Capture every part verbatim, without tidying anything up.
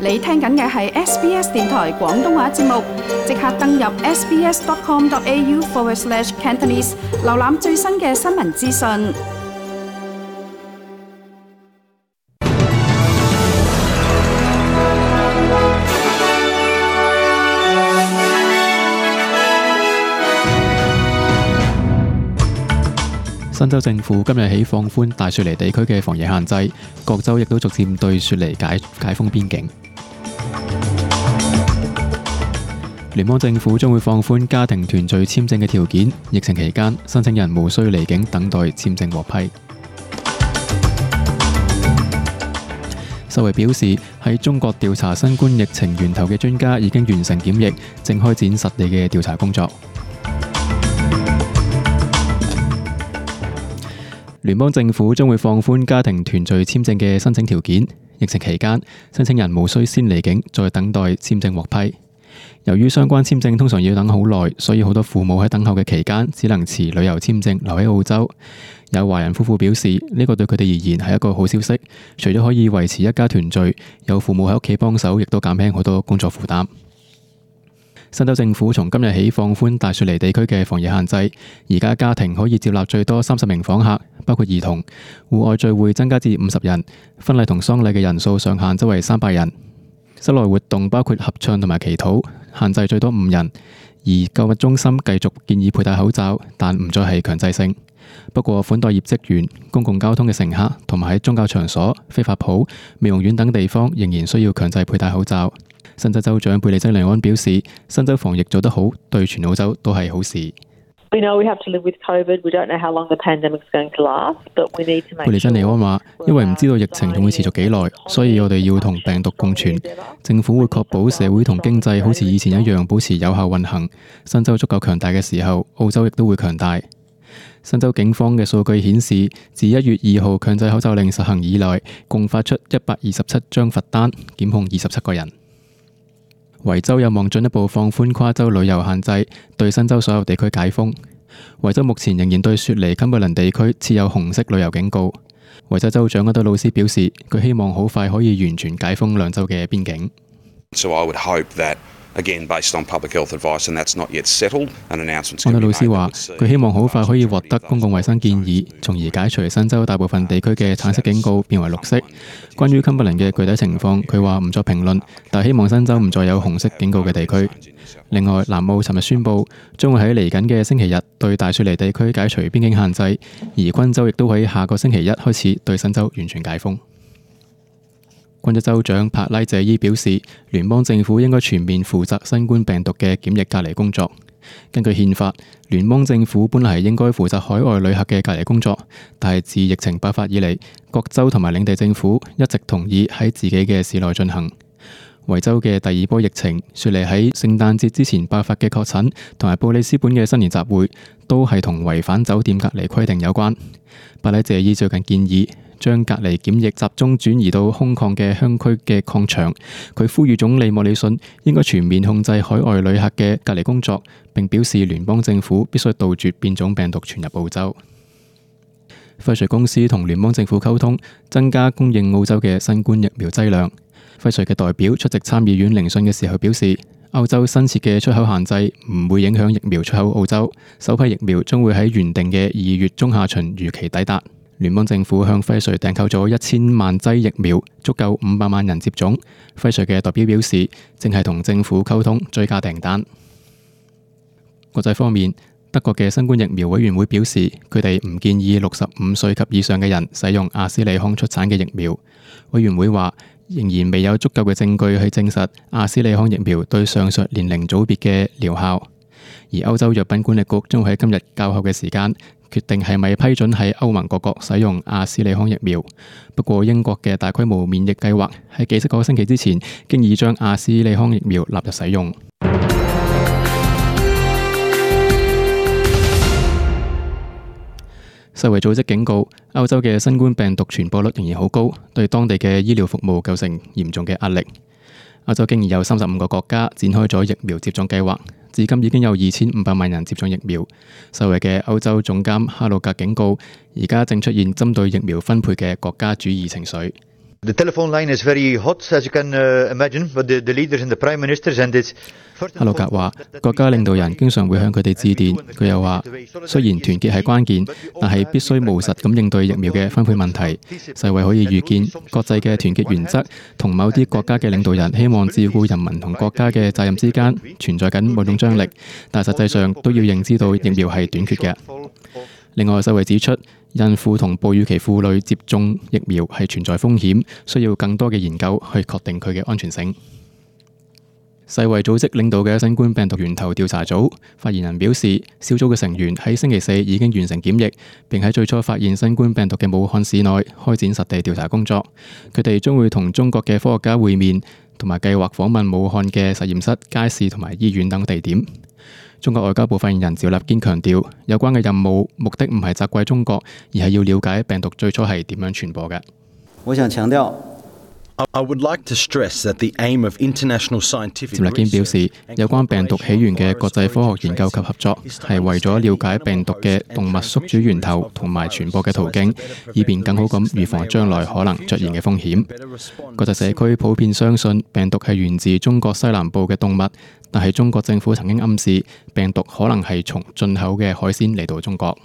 你聽緊嘅係 S B S 電台廣東話節目，即刻登入 sbs.com.au forward slash Cantonese， 瀏覽最新嘅新聞資訊。新州政府今日起放寬大雪梨地區嘅防疫限制，各州亦都逐漸對雪梨解解封邊境。聯邦政府將會放寬家庭團聚簽證嘅條件，疫情期間申請人無需離境等待簽證獲批。世衛表示，喺中國調查新冠疫情源頭嘅專家已經完成檢疫，正開展實地嘅調查工作。聯邦政府將會放寬家庭團聚簽證嘅申請條件，疫情期間申請人無需先離境再等待簽證獲批。由於相關簽證通常要等好耐，所以好多父母喺等候嘅期間只能持旅遊簽證留喺澳洲。有華人夫婦表示，呢個對佢哋而言係一個好消息，除咗可以維持一家團聚，有父母喺屋企幫手，亦都減輕好多工作負擔。新州政府從今日起放寬大雪梨地區嘅防疫限制，而家家庭可以接納最多三十名訪客，包括兒童。戶外聚會增加至五十人，婚禮同喪禮嘅人數上限則為三百人。室內活動包括合唱同埋祈禱，限制最多五人。而購物中心繼續建議佩戴口罩，但唔再係強制性。不過款待業職員、公共交通嘅乘客同埋喺宗教場所、非法鋪、美容院等地方仍然需要強制佩戴口罩。新州州長貝利珍尼安表示，新州防疫做得好，對全澳洲都係好事。We know we have to live with COVID. We don't know how long the pandemic is going to last, but we need to make sure. 貝利珍尼安話，因為唔知道疫情仲會持續幾耐，所以我哋要同病毒共存。政府會確保社會同經濟好似以前一樣保持有效運行。新州足夠強大嘅時候，澳洲亦都會強大。新州警方嘅數據顯示，自一月二號強制口罩令實行以來，共發出一百二十七張罰單，檢控二十七個人。維州有望進一步放寬跨州旅遊限制，對新州所有地區解封。維州目前仍然對雪梨、堪布倫地區設有紅色旅遊警告。維州州長阿多魯斯表示，佢希望好快可以完全解封兩州嘅邊境。So I would hope that Again, based on public health advice, and that's not yet settled, an announcement. 安德魯斯話：佢希望好快可以獲得公共衛生建議，從而解除新州大部分地區嘅橙色警告變為綠色。關於堪布倫嘅具體情況，佢話唔作評論，但希望新州唔再有紅色警告嘅地區。另外，南澳尋日宣布將會喺嚟緊嘅星期日對大雪梨地區解除邊境限制，而昆州亦都喺下個星期一開始對新州完全解封。昆州州長帕拉謝伊表示，聯邦政府應該全面負責新冠病毒嘅檢疫隔離工作。根據憲法，聯邦政府本嚟係應該負責海外旅客嘅隔離工作，但係自疫情爆發以嚟，各州同埋領地政府一直同意喺自己嘅市內進行。維州嘅第二波疫情，雪梨喺聖誕節之前爆發嘅確診，同埋布里斯本嘅新年集會，都係同違反酒店隔離規定有關。帕拉謝伊最近建議將隔離檢疫集中轉移到空曠嘅鄉區嘅礦場。佢呼籲總理莫里遜應該全面控制海外旅客嘅隔離工作，並表示聯邦政府必須杜絕變種病毒傳入澳洲。輝瑞公司同聯邦政府溝通，增加供應澳洲嘅新冠疫苗劑量。輝瑞嘅代表出席參議院聆訊嘅時候表示，歐洲新設嘅出口限制唔會影響疫苗出口澳洲，首批疫苗將會喺原定嘅二月中下旬如期抵達。聯邦政府向輝瑞訂購咗一千萬劑疫苗，足夠五百萬人接種。輝瑞嘅代表表示，正係同政府溝通追加訂單。國際方面，德國嘅新冠疫苗委員會表示，佢哋唔建議六十五歲及以上嘅人使用阿斯利康出產嘅疫苗。委員會話，仍然未有足夠嘅證據去證實阿斯利康疫苗對上述年齡組別嘅療效。而歐洲藥品管理局將會喺今日較後嘅時間決定係咪批准喺歐盟各國使用阿斯利康疫苗。不過英國嘅大規模免疫計劃喺幾個星期之前經已將阿斯利康疫苗納入使用。世衛組織警告，歐洲嘅新冠病毒傳播率仍然好高，對當地嘅醫療服務構成嚴重嘅壓力。歐洲竟然有三十五個國家展開咗疫苗接種計劃，至今已經有二千五百萬人接種疫苗。世衛嘅歐洲總監哈魯格警告，而家正出現針對疫苗分配嘅國家主義情緒。The telephone line is very hot, as you can imagine, but the, the leaders and the prime ministers and it's克魯格話：國家領導人經常會向佢哋致電。佢又話：雖然團結係關鍵，但係必須務實咁應對疫苗嘅分配問題。世衛可以預見國際嘅團結原則同某啲國家嘅領導人希望照顧人民同國家嘅責任之間存在緊某種張力，但實際上都要認知到疫苗係短缺嘅。另外，世衛指出，孕婦同哺乳期婦女接種疫苗係存在風險，需要更多嘅研究去確定佢嘅安全性。世衛組織領導嘅新冠病毒源頭調查組發言人表示，小組嘅成員喺星期四已經完成檢疫，並喺最初發現新冠病毒嘅武漢市內開展實地調查工作。佢哋將會同中國嘅科學家會面，同埋計劃訪問武漢嘅實驗室、街市同埋醫院等地點。中國外交部發言人趙立堅強調，有關嘅任務目的唔係責怪中國，而係要了解病毒最初係點樣傳播嘅。我想強調。I would like to stress that the aim of international scientific 趙立堅表示，有關病毒起源嘅國際科學研究及合作係為咗了解病毒嘅動物宿主源頭同埋傳播嘅途徑，以便更好咁預防將來可能出現嘅風險。國際社區普遍相信病毒係源自中國西南部嘅動物，但係中國政府曾經暗示病毒可能係從進口嘅海鮮嚟到中國。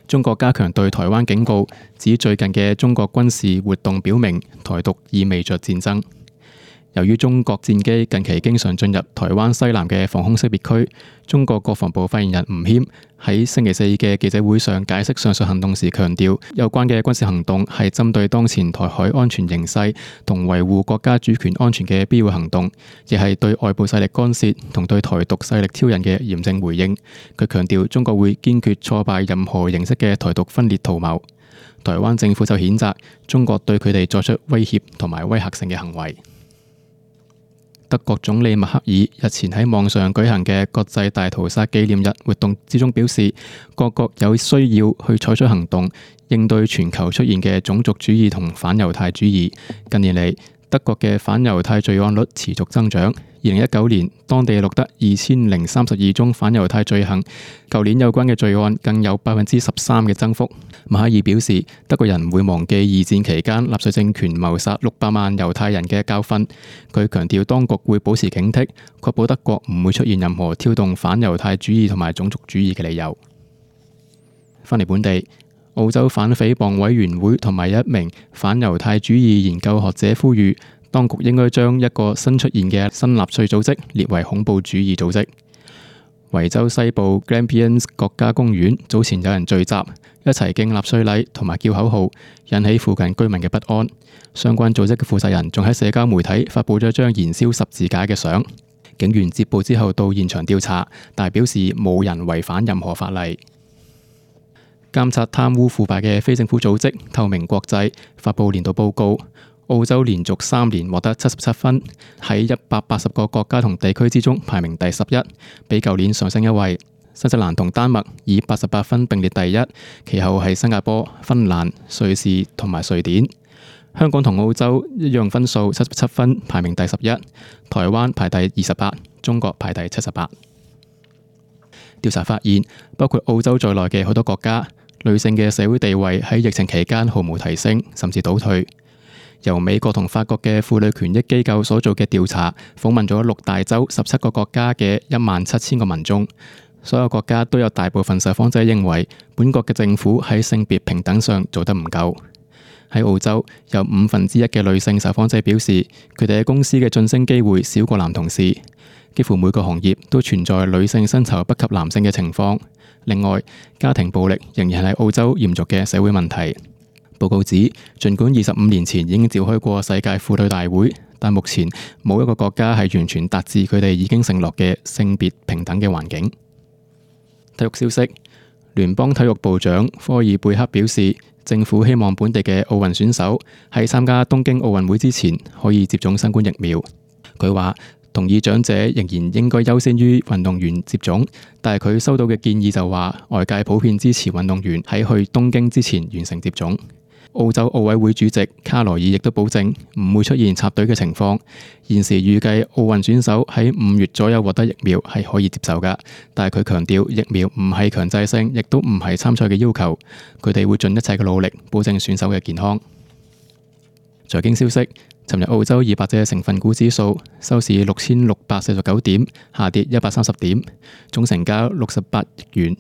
中國加強對台灣警告，指最近嘅中國軍事活動表明台獨意味着戰爭。由於中國戰機近期經常進入台灣西南嘅防空識別區，中國國防部發言人吳謙喺星期四嘅記者會上解釋上述行動時強調，有關嘅軍事行動係針對當前台海安全形勢同維護國家主權安全嘅必要行動，亦係對外部勢力干涉同對台獨勢力挑釁嘅嚴正回應。佢強調中國會堅決挫敗任何形式嘅台獨分裂圖謀。台灣政府就譴責中國對佢哋作出威脅同埋威嚇性嘅行為。德國總理默克爾日前喺網上舉行嘅國際大屠殺紀念日活動之中表示，各國有需要去採取行動，應對全球出現嘅種族主義同反猶太主義。近年嚟，德國嘅反猶太罪案率持續增長。二零一九年，當地錄得二千零三十二宗反猶太罪行，舊年有關嘅罪案更有百分之十三嘅增幅。默克爾表示，德國人唔會忘記二戰期間納粹政權謀殺六百萬猶太人嘅教訓。佢強調，當局會保持警惕，確保德國唔會出現任何挑動反猶太主義同埋種族主義嘅理由。翻嚟本地，澳洲反誹謗委員會同埋一名反猶太主義研究學者呼籲，當局應該將一個新出現嘅新納粹組織列為恐怖主義組織。維州西部 Grampians 國家公園早前有人聚集，一齊敬納粹禮同埋叫口號，引起附近居民嘅不安。相關組織嘅負責人仲喺社交媒體發布咗張燃燒十字架嘅相。警員接報之後到現場調查，但係表示冇人違反任何法例。監察貪污腐敗嘅非政府組織透明國際發布年度報告。澳洲連續三年獲得七十七分，喺一百八十個國家同地區之中排名第十一，比舊年上升一位。新西蘭同丹麥以八十八分並列第一，其後係新加坡、芬蘭、瑞士同埋瑞典。香港同澳洲一樣分數七十七分，排名第十一。台灣排第二十八，中國排第七十八。調查發現，包括澳洲在內嘅好多國家，女性嘅社會地位喺疫情期間毫無提升，甚至倒退。由美國同法國嘅婦女權益機構所做嘅調查，訪問咗六大洲十七個國家嘅一萬七千個民眾，所有國家都有大部分受訪者認為本國嘅政府喺性別平等上做得唔夠。喺澳洲，有五分之一嘅女性受訪者表示，佢哋喺公司嘅晉升機會少過男同事。幾乎每個行業都存在女性薪酬不及男性嘅情況。另外，家庭暴力仍然係澳洲嚴重嘅社會問題。報告指，儘管二十五年前已經召開過世界婦女大會，但目前冇一個國家係完全達至佢哋已經承諾嘅性別平等嘅環境。體育消息，聯邦體育部長科爾貝克表示，政府希望本地嘅奧運選手喺參加東京奧運會之前可以接種新冠疫苗。佢話同意長者仍然應該優先於運動員接種，但係佢收到嘅建議就話，外界普遍支持運動員喺去東京之前完成接種。澳洲奧委會主席卡羅爾亦都保證唔會出現插隊嘅情況。現時預計奧運選手喺五月左右獲得疫苗係可以接受㗎，但係佢強調疫苗唔係強制性，亦都唔係參賽嘅要求。佢哋會盡一切嘅努力保證選手嘅健康。財經消息，尋日澳洲二百隻成分股指數收市六千六百四十九點，下跌一百三十點，總成交六十八億元。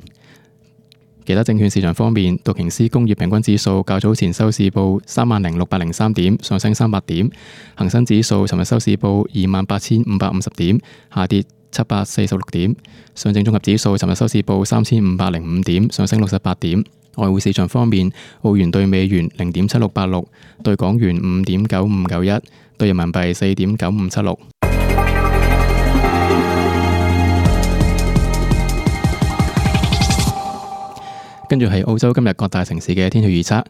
其他證券市場方面，道瓊斯工業平均指數較早前收市報三萬零六百零三點，上升三百點；恒生指數尋日收市報二萬八千五百五十點，下跌七百四十六點。上證綜合指數尋日收市報三千五百零五點，上升六十八點。外匯市場方面，澳元對美元零點七六八六，對港元五點九五九一，對人民幣四點九五七六。跟住係澳洲今日各大城市嘅天氣預測：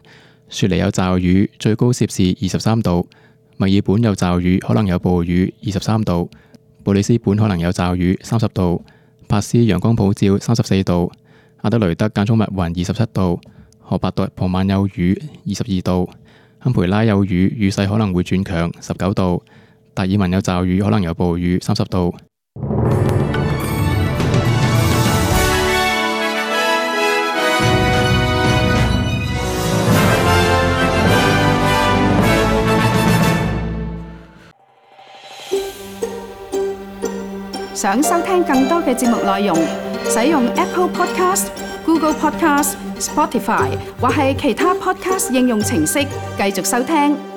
雪梨有驟雨，最高攝氏二十三度；墨爾本有驟雨，可能有暴雨，二十三度；布里斯本可能有驟雨，三十度；珀斯陽光普照，三十四度；阿德雷德間中密雲，二十七度；荷伯特傍晚有雨，二十二度；堪培拉有雨，雨勢可能會轉強，十九度；達爾文有驟雨，可能有暴雨，三十度。想收聽更多嘅節目內容，使用 Apple Podcast、Google Podcast、Spotify 或係其他 Podcast 應用程式繼續收聽。